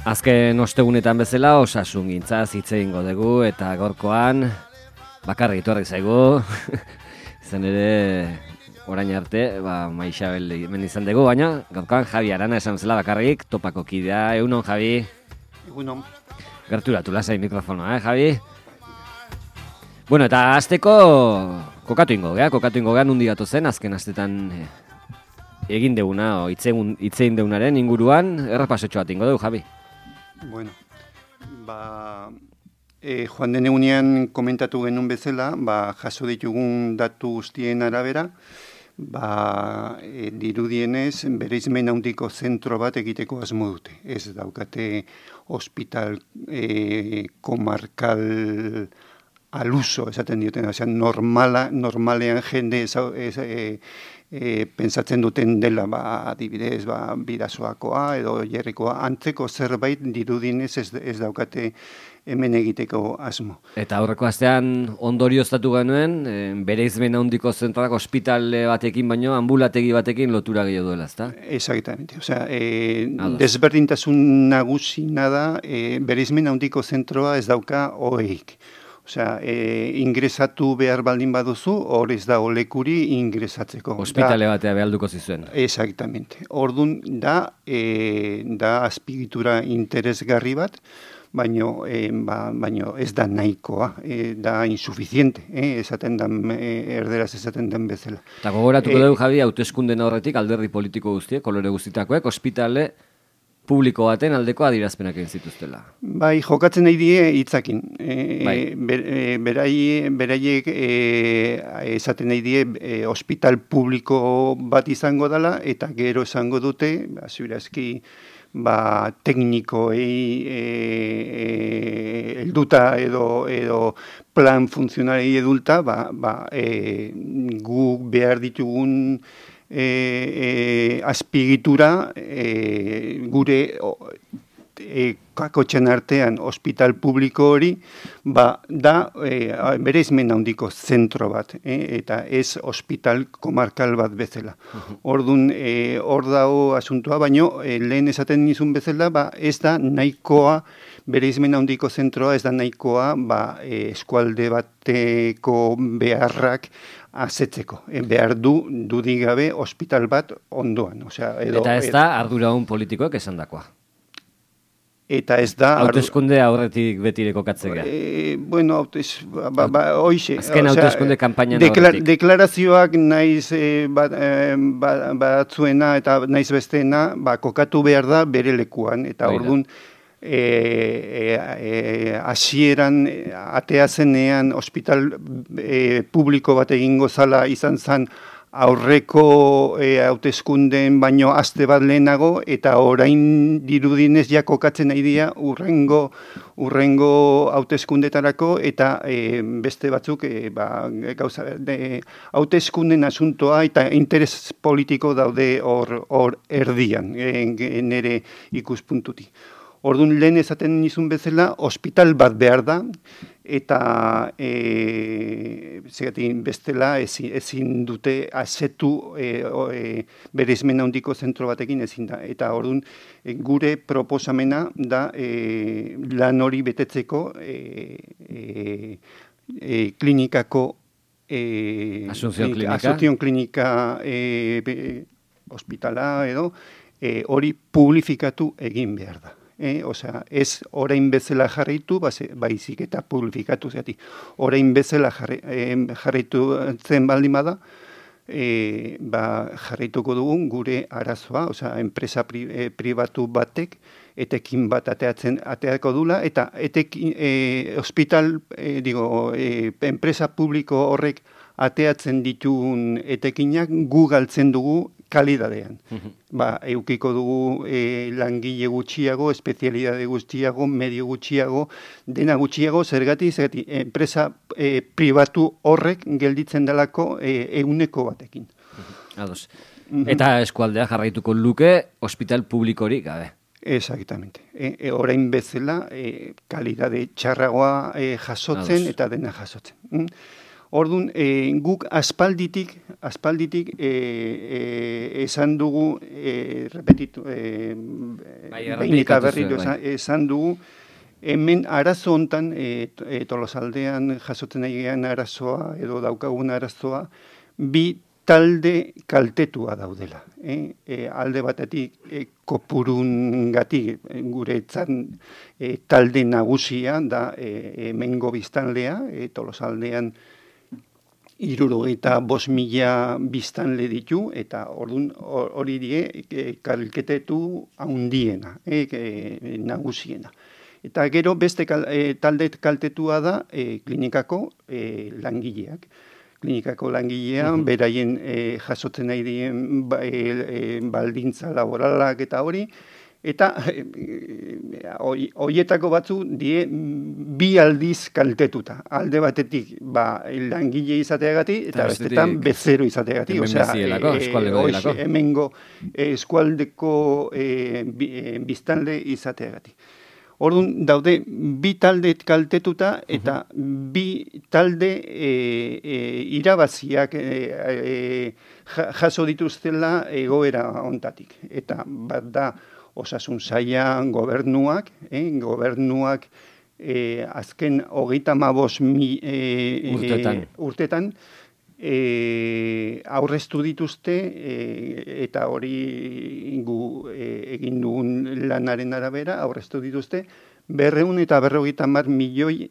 Azken ostegunetan bezala osasun gintzaz hitz egingo dugu eta gaurkoan bakarrik etorri zaigu. Izan ere orain arte, Maixabel hemen izan dugu, baina gaurkoan Javi Arana esan zela bakarrik, topako kidea. Egunon, Javi? Egunon. Gerturatu lasai mikrofonoa, Javi? Bueno, eta hasteko kokatu ingo gea nundi gatu zen, azken astetan egin deguna, hitz egin degunaren inguruan, errepasotxo bat ingo dugu, Javi. Bueno, joan den egunean komentatu genuen bezala, jaso ditugun datu guztien arabera, dirudienez bereizmen handiko zentro bat egiteko asmo dute. Ez daukate hospital komarkal aluso, esaten dioten, normalean jende pentsatzen duten dela, adibidez, Bidasoakoa edo Jerrikoa, antzeko zerbait dirudienez ez daukate hemen egiteko asmo. Eta aurreko astean ondorioztatu genuen, bereizmen handiko zentroak ospitale batekin baino ambulategi batekin lotura gehiago duela, ezta? Exactamente. Osea, desberdintasun nagusina da, bereizmen handiko zentroa ez dauka oheik. Osea, ingresatu behar baldin baduzu, hor ez da olekuri ingresatzeko. Hospitale batea behalduko zizuen. Exactamente. Ordun da azpiegitura interesgarri bat, baino ez da nahikoa, da insuficiente, esaten den, erderaz esaten den bezala. Eta gogoratuko dugu, Javi, hauteskunden aurretik alderdi politiko guztiek, kolore guztitakoek, ospitale publiko baten aldeko adierazpenak egin zituztela. Bai, jokatzen nahi die hitzakin. Beraiek esaten nahi die ospital publiko bat izango dela, eta gero esango dute, ziurazki, teknikoei helduta edo plan funtzionari edulta, gu behar ditugun azpiegitura gure kakotxen artean ospital publiko hori da bereizmen handiko zentro bat, eta ez ospital komarkal bat bezala. Ordun hor dago asuntoa, baino lehen esaten nizun bezala, ez da nahikoa, bereizmen handiko zentroa ez da nahikoa eskualde bateko beharrak azetzeko. Behar dudik gabe ospital bat ondoan. Eta ez da arduraun politikoek esandakoa. Eta ez da... Hauteskunde aurretik betire kokatzea. Bueno, hoixe. Azken hauteskunde kanpainan aurretik. Deklarazioak naiz batzuena eta naiz besteena kokatu behar da bere lekuan. Eta orduan hasieran atea zenean ospital publiko bat egingo zala izan zen aurreko hauteskundeen baino aste bat lehenago, eta orain dirudinez ja kokatzen nahi dira urrengo hauteskundetarako, eta beste batzuk hauteskunden asuntoa eta interes politiko daude hor erdian, nire ikuspuntutik. Orduan lehen esaten nizun bezala, ospital bat behar da, eta bestela ezin dute asetu bereizmen handiko zentro batekin ezin da. Eta orduan gure proposamena da lan hori betetzeko klinikako Asunción Klinika ospitala edo hori publifikatu egin behar da. Osea, ez orain bezala jarraitu, baizik eta publifikatu zeati. Orain bezala jarraitu zen baldin bada, jarraituko dugun gure arazoa, osea, enpresa pribatu batek etekin bat ateako dula, eta enpresa publiko horrek ateatzen ditugun etekinak gu galtzen dugu kalidadean. Eukiko dugu langile gutxiago, espezialidade gutxiago, medio gutxiago, dena gutxiago, zergatik, enpresa pribatu horrek gelditzen delako eguneko batekin. Ados. Eta eskualdea jarraituko luke ospital publikorik gabe. Exactamente. Orain bezala, kalidade txarragoa jasotzen eta dena jasotzen. Orduan, guk aspalditik esan dugu, behin eta berriro esan dugu, hemen arazo hontan, Tolosaldean jasotzen egin arazoa edo daukagun arazoa, bi talde kaltetua daudela. Alde batetik kopurungatik guretzan talde nagusia da hemengo biztanlea, Tolosaldean 75.000 biztanle ditu, eta hori die kaltetu handiena, nagusiena. Eta gero beste talde kaltetua da klinikako langileak. Klinikako langilean, beraien jasotzen nahi dien baldintza laboralak eta hori, eta horietako batzu die bi aldiz kaltetuta. Alde batetik langile izateagatik eta bestetan bezero izateagatik. Hemengo eskualdeko biztanle izateagatik. Orduan daude bi talde kaltetuta eta bi talde irabaziak jaso dituztela egoera hontatik. Eta bat da osasun saila gobernuak azken 35 urtetan aurreztu dituzte eta hori egin dugun lanaren arabera aurreztu dituzte 250 milioi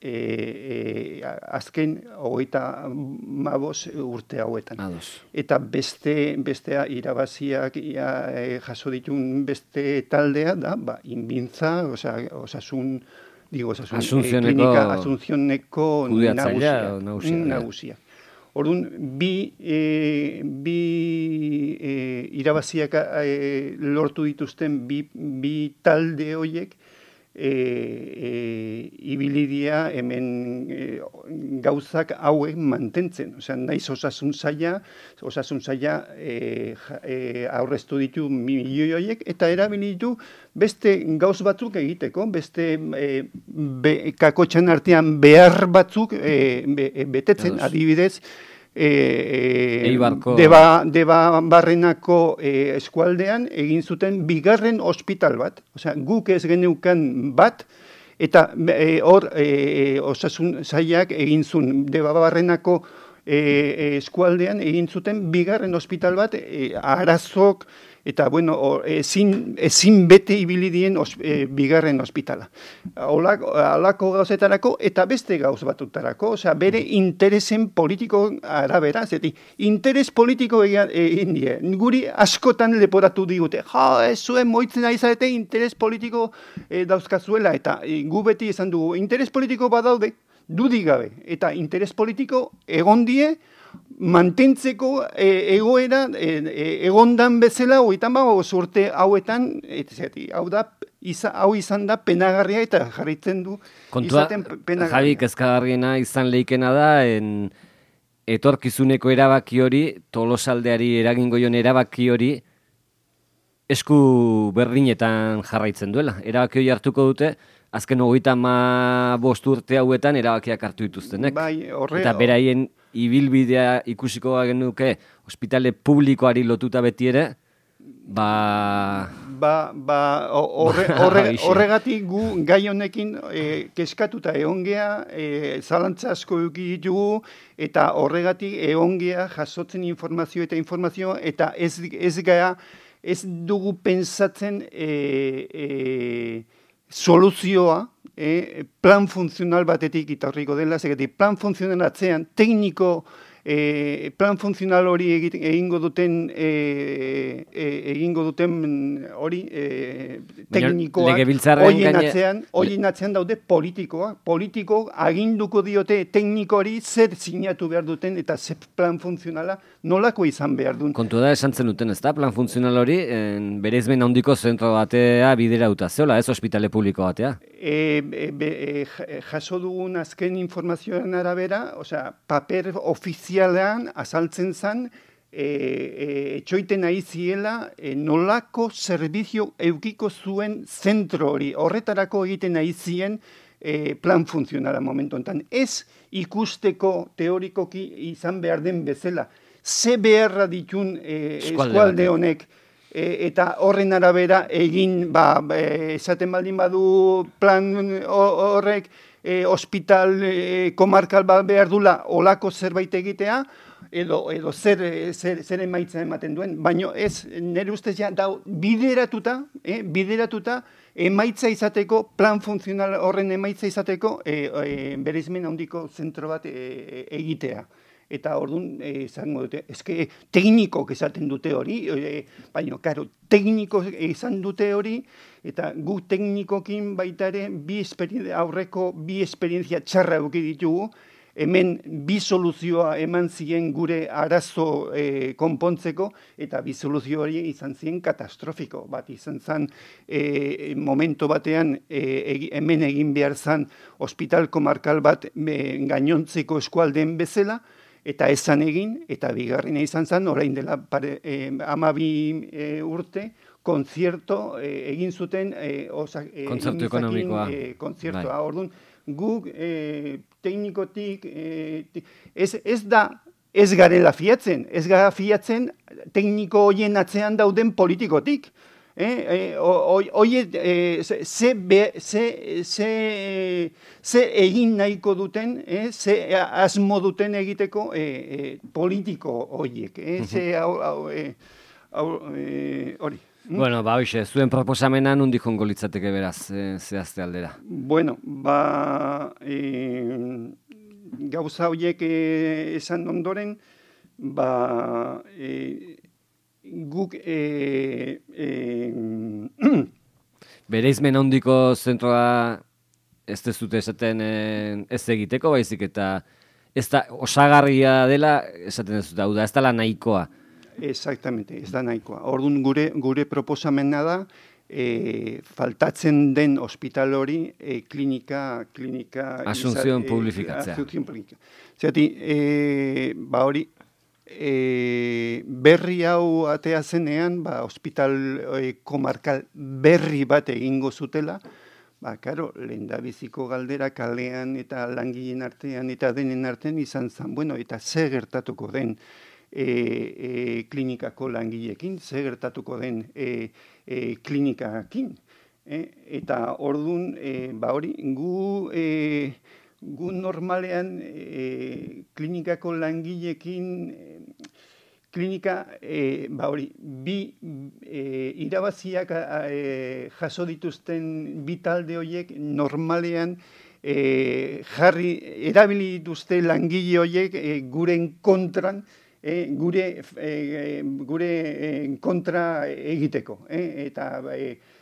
azken 35 urte hauetan. Eta bestea irabaziak jaso ditun beste taldea da, Inbintza, klinika Asuncióneko nagusia. Orduan, bi irabaziak lortu dituzten bi talde horiek ibilidia hemen gauzak hauek mantentzen. Naiz osasun saila aurreztu ditu milioi horiek eta erabili ditu beste gauz batzuk egiteko, beste kakotxan artean behar batzuk betetzen, adibidez, Debabarrenako eskualdean egin zuten bigarren ospital bat. Guk ez geneukan bat, eta hor osasun sailak egin zuen Debabarrenako eskualdean egin zuten bigarren ospital bat, arazok, eta ezin bete ibili dien bigarren ospitala. Halako gauzetarako eta beste gauz batutarako, bere interesen politiko arabera, interes politiko egin die. Guri askotan leporatu digute, ez zuen moitzen ari zarete interes politiko dauzkazuela, eta gu beti esan dugu, interes politiko badaude, dudik gabe, eta interes politiko egon die, mantentzeko egoera egondan bezala 35 urte hauetan, hau izan da penagarria eta jarritzen du izaten penagarria. Javi, kezkagarriena izan leikena da, etorkizuneko erabaki hori, Tolosaldeari eragingo jon erabaki hori, esku berdinetan jarraitzen duela. Erabaki hori hartuko dute, azken 35 urte hauetan erabakiak hartu dituztenek. Eta beraien ibilbidea ikusiko genuke ospitale publikoari lotuta beti ere, horregatik gu gai honekin keskatuta egongea, zalantza asko eduki ditugu, eta horregatik egongea jasotzen informazio eta ez dugu pensatzen soluzioa, plan funtzional batetik itorriko dela, plan funtzional atzean, tekniko, plan funtzional hori egingo duten hori teknikoak, horien atzean daude politiko aginduko diote tekniko hori zer sinatu behar duten eta zer plan funtzionala nolako izan behar duen. Kontu da esan zen duten, ez da, plan funtzional hori bereizmen handiko zentro batea biderauta, zeola, ez ospitale publiko batea? Jaso dugun azken informazioaren arabera, paper ofizialean azaltzen zen, etxoiten nahi ziela nolako zerbizio eukiko zuen zentro hori. Horretarako egiten nahi zien plan funtzionala momentu enten. Ez ikusteko teorikoki izan behar den bezala. Ze beharra ditun eskualde honek, eta horren arabera egin, esaten baldin badu plan horrek, hospital komarkal bat behar dula olako zerbait egitea, edo zer emaitza ematen duen. Baina ez, nire ustez ja, bideratuta emaitza izateko, plan funtzional horren emaitza izateko, bereizmen handiko zentro bat egitea. Eta orduan, izango dute, eske teknikok esaten dute hori, baina, karo, teknikok izan dute hori, eta gu teknikokin baita ere, aurreko bi esperientzia txarra eduki ditugu, hemen bi soluzioa eman ziren gure arazo konpontzeko, eta bi soluzio hori izan ziren katastrofiko. Bat izan zen, momento batean, hemen egin behar zen, hospital komarkal bat gainontzeko eskualdeen bezala, eta esan egin, eta bigarrena izan zen, orain dela 12 urte, konzierto egin zuten kontzertu ekonomikoa. Konzertoa. Orduan, guk teknikotik ez garela fiatzen, ez gara fiatzen tekniko horien atzean dauden politikotik. Oie, ze egin nahiko duten, ze asmo duten egiteko politiko horiek, hori. Bueno, hoxe, zuen proposamena nondik jongo litzateke beraz, zehazte aldera? Bueno, gauza horiek esan ondoren, guk bereizmen handiko zentroa ez dezute esaten ez egiteko, baizik eta ez da osagarria dela esaten dezute, hau da, ez dela nahikoa. Exactamente, ez da nahikoa. Orduan gure proposamena da, faltatzen den hospital hori klinika Asunción publifikatzea. Zerati, hori, berri hau atea zenean, hospital komarkal berri bat egingo zutela, karo, lehendabiziko galdera kalean eta langileen artean eta denen artean izan zen, bueno, eta ze gertatuko den klinikako langileekin, ze gertatuko den klinikakin. Eta orduan, hori, gu normalean klinikako langileekin klinika, hori, bi irabaziak jaso dituzten bi talde horiek normalean erabili dituzte langile horiek guren kontran, gure kontra egiteko. Eta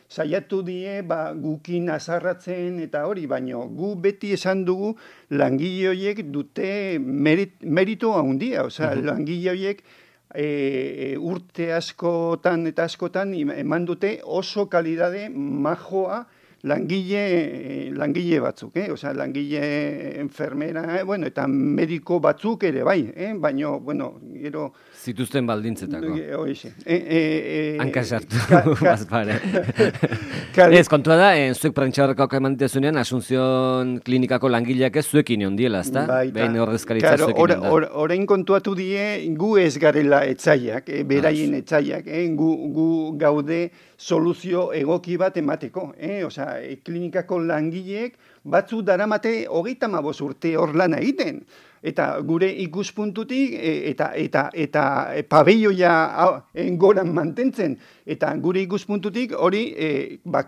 saiatu die gukin azarratzen eta hori, baino gu beti esan dugu langile horiek dute merito handia, osea, langile horiek urte askotan eta askotan eman dute oso kalidade majoa langile batzuk, osea, langile enfermera, bueno, eta mediko batzuk ere bai, baino, bueno, gero... Zituzten baldintzetako. Hoize. Hanka sartu, bazpare. Ez, kontua da, zuek prentxaurrekoak eman ditezunean, Asunción klinikako langileak ez zuekin ondiela, ezta? Behin horrezkaritza zuekin onda. Orain kontuatu die, gu ez garela etzaiak, beraien etzaiak, gu gaude soluzio egoki bat emateko, osea, klinikako langileek batzu daramate 35 urte hor lana egiten. Eta gure ikuspuntutik eta pabelloia goran mantentzen. Eta gure ikuspuntutik hori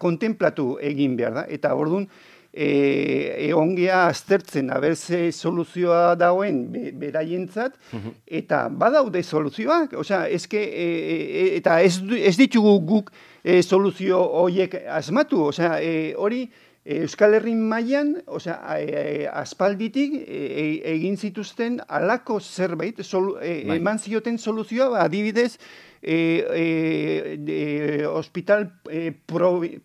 kontemplatu egin behar da. Eta orduan egongea aztertzen, ze soluzioa dauen beraientzat, eta badaude soluzioak. Osea, eta ez ditugu guk soluzio horiek asmatu. Osea, hori Euskal Herrin mailan, osea, aspalditik egin zituzten halako zerbait, eman zioten soluzioa, adibidez, hospital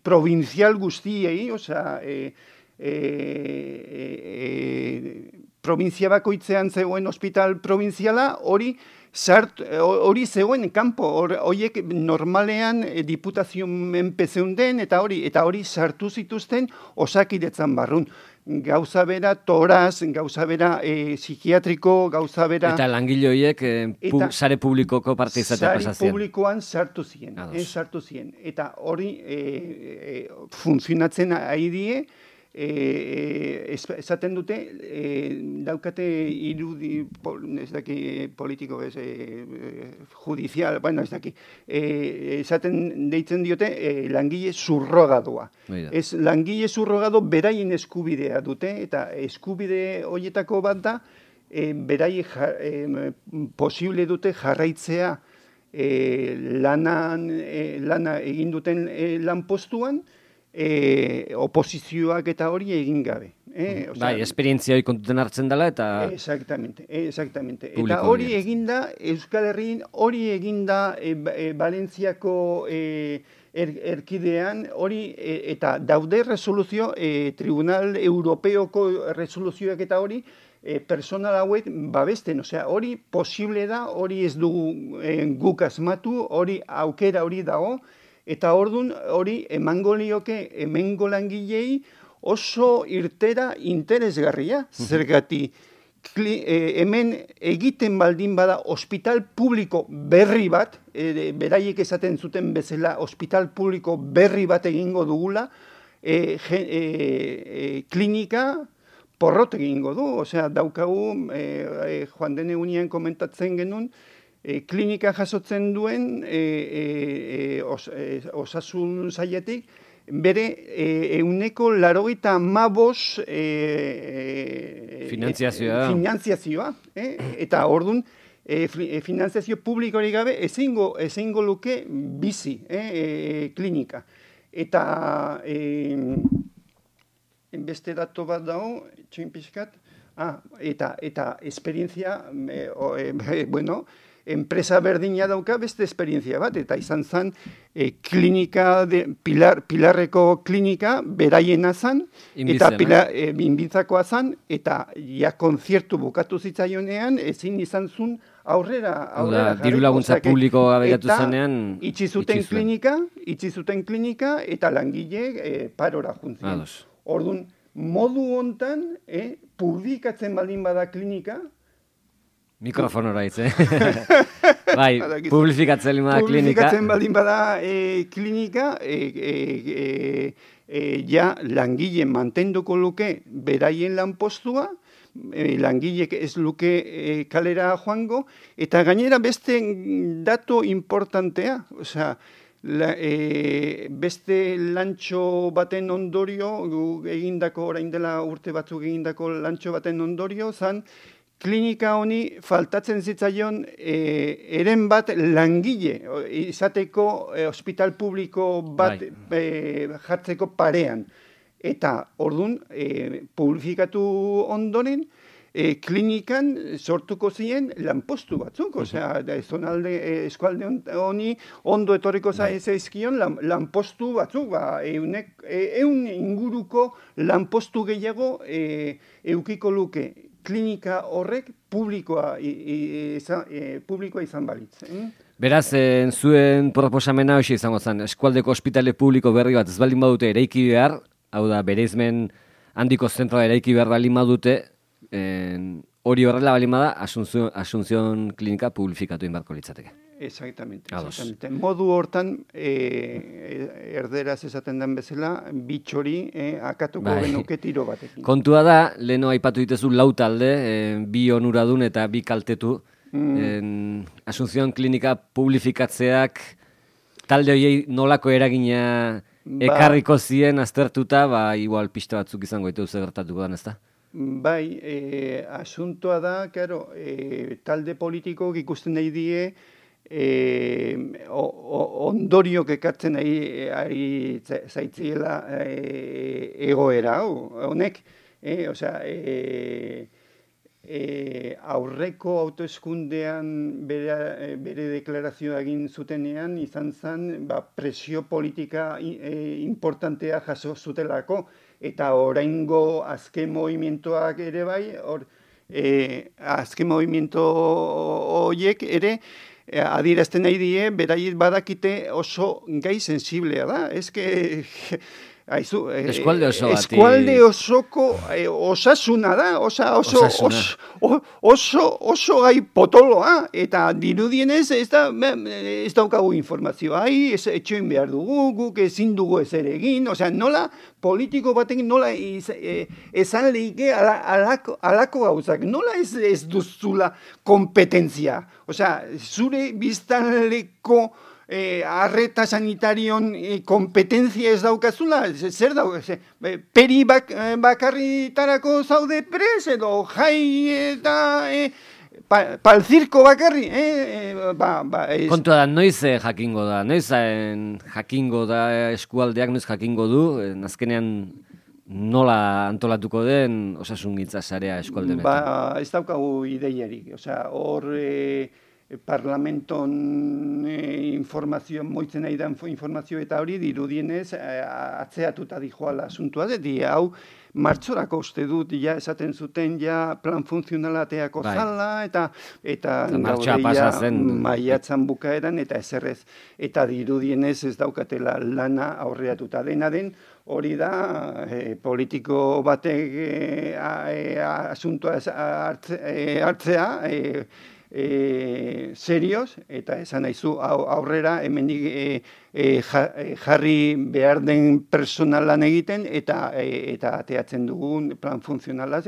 provincial guztiei, osea, provintzia bakoitzean zegoen hospital provinziala, hori hori zegoen kanpo, horiek normalean diputazio menpe zeunden, eta hori sartu zituzten Osakidetzan barrun. Gauza bera toraz, gauza bera psikiatriko, gauza bera... Eta langile horiek sare publikoko parte izatea pasazien. Sare publikoan sartu ziren. Eta hori funtzionatzen ari die, esaten dute, daukate irudi, ez daki politiko, judizial, bueno, ez daki, esaten deitzen diote langile surrogadoa. Ez langile surrogado beraien eskubidea dute, eta eskubide horietako bat da, berai posible dute jarraitzea lana egin duten lanpostuan, oposizioak eta hori egin gabe. Bai, esperientzia hori kontuten hartzen dela eta... Exactamente. Eta hori eginda, Euskal Herrian hori eginda Valentziako erkidean, hori eta daude resoluzio, Tribunal Europeoko resoluzioak eta hori, personal hauek babesten, osea, hori posible da, hori ez dugu guk asmatu, hori aukera hori dago, eta ordun hori emango lioke hemengo langilei oso irtera interesgarria. Zergati hemen egiten baldin bada ospital publiko berri bat, beraiek esaten zuten bezala ospital publiko berri bat egingo dugula, klinika porrot egingo du. Osea, daukagu, joan den egunean komentatzen genuen, klinika jasotzen duen osasun sailetik bere 95% finanziazioa, eta ordun finanziazio publikorik gabe ezingo luke bizi klinika. Eta beste dato bat dago, txoin pixkat, eta esperientzia, bueno, enpresa berdina dauka beste esperientzia bat, eta izan zen klinika, Pilarreko klinika beraiena zen, eta Inbitzakoa zen, eta ja konziertu bukatu zitzaionean, ezin izan zuen aurrera diru laguntza publiko abegatu zenean, itxi zuten klinika, eta langile parora juntzien. Orduan, modu hontan, publikatzen baldin bada klinika, mikrofonora hitz, Bai, publifikatzen baldin bada klinika, ja langile mantenduko luke beraien lanpostua, langilek ez luke kalera joango, eta gainera beste dato importantea, osea, beste lantxo baten ondorio, egindako, orain dela urte batzuk egindako lantxo baten ondorio, zan, klinika honi faltatzen zitzaion eren bat langile, izateko ospital publiko bat jartzeko parean. Eta ordun publifikatu ondoren, klinikan sortuko ziren lanpostu batzuk, osea, eskualde honi ondo etorriko zaizkion lanpostu batzuk, ehun inguruko lanpostu gehiago eukiko luke klinika horrek publikoa izan balitz. Beraz, zuen proposamena hoxe izango zen, eskualdeko ospitale publiko berri bat ez baldin badute eraiki behar, hau da, bereizmen handiko zentroa eraiki behar baldin badute, hori horrela baldin bada, Asunción klinika publifikatu inbarko litzateke. Exactamente. Modu hortan, erderaz esaten den bezala, bitxori akatuko genuke tiro batekin. Kontua da, leheno aipatu ditezu lau talde, bi onuradun eta bi kaltetu. Asunción klinika publifikatzeak talde horiei nolako eragina ekarriko zien aztertuta, igual pista batzuk izango ditu gertatuko dan, ezta? Bai, asuntoa da, claro, talde politikok ikusten nahi die, ondoriok ekartzen ari zaitziela egoera hau, honek, osea, aurreko autoeskundean bere deklarazioa egin zutenean, izan zen presio politika importantea jaso zutelako, eta oraingo azken movimentoak ere bai, azken movimiento horiek ere, adierazten nahi die, beraiet badakite oso gai sensiblea da. Eskualde oso bati. Eskualde osoko osasuna da, oso gai potoloa, eta dirudienez ez daukagu informazioa, etxoin behar dugu, guk ezin dugu ezer egin, nola politiko batekin nola esan lehike alako gauzak, nola ez duzula kompetentzia, zure biztanleko arreta sanitarion kompetentzia ez daukazula, zer peri bakarritarako zaude pres, edo jai eta palzirko bakarri, Kontua da, noiz jakingo da, jakingo da eskualdeak, noiz jakingo du, azkenean nola antolatuko den osasungintza sarea eskualde honetan? Ez daukagu ideiarik, hor parlamenton informazio, moitzen nahi da informazio eta hori dirudienez atzeatuta dijoala asuntua, hau martxorako uste dut, esaten zuten, plan funtzionala ateako zala, eta maiatzan bukaeran, eta ezerrez, eta dirudienez ez daukatela lana aurreatuta dena den, hori da, politiko batek asuntua hartzea, serioz, eta esan naizu aurrera hemendik jarri behar den personalan egiten eta ateatzen dugun plan funtzionala,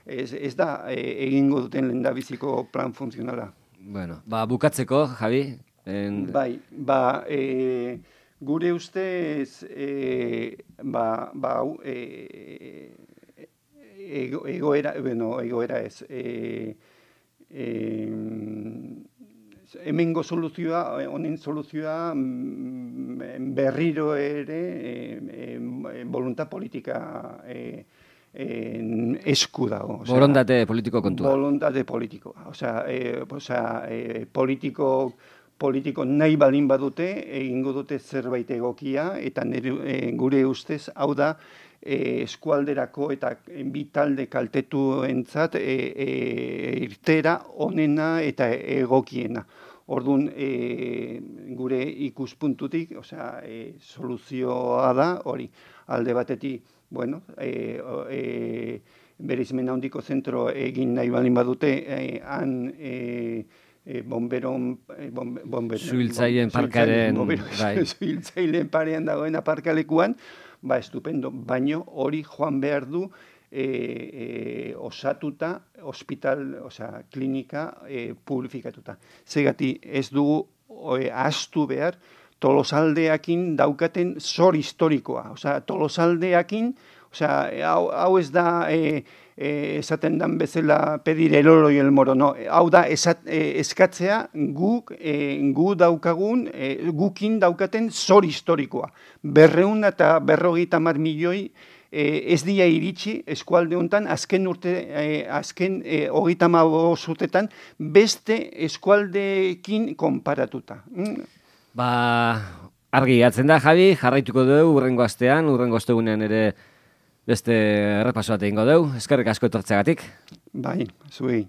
ez da egingo duten lehendabiziko plan funtzionala. Bueno, bukatzeko, Javi? Gure ustez egoera ez, hemengo soluzioa, honen soluzioa berriro ere voluntad politika esku dago. Borondate politiko kontua. Borondate politikoa. Politiko nahi balin badute, egingo dute zerbait egokia, eta gure ustez, hau da, eskualderako eta bitalde kaltetuentzat irtera onena eta egokiena. Orduan, gure ikuspuntutik, soluzioa da, hori, alde batetik, bereizmen handiko zentro egin nahi balin badute, han Zuhiltzaileen parkaren Zuhiltzaileen parean dagoen aparkalekuan, estupendo, baino hori joan behar du osatuta, hospital, klinika publifikatuta. Zegati ez dugu ahaztu behar Tolosaldeakin daukaten zor historikoa. Tolosaldeakin, hau ez da esaten dan bezala pedir el oro y el moro, no. Hau da eskatzea gukin daukaten zor historikoa. 250 milioi ez dira iritsi eskualde honetan, azken 35 urtetan beste eskualdeekin konparatuta. Argi gatzen da, Javi, jarraituko dugu urrengo astean, urrengo ostegunean ere beste errepaso bat egingo dugu. Eskerrik asko etortzeagatik. Bai, zuei.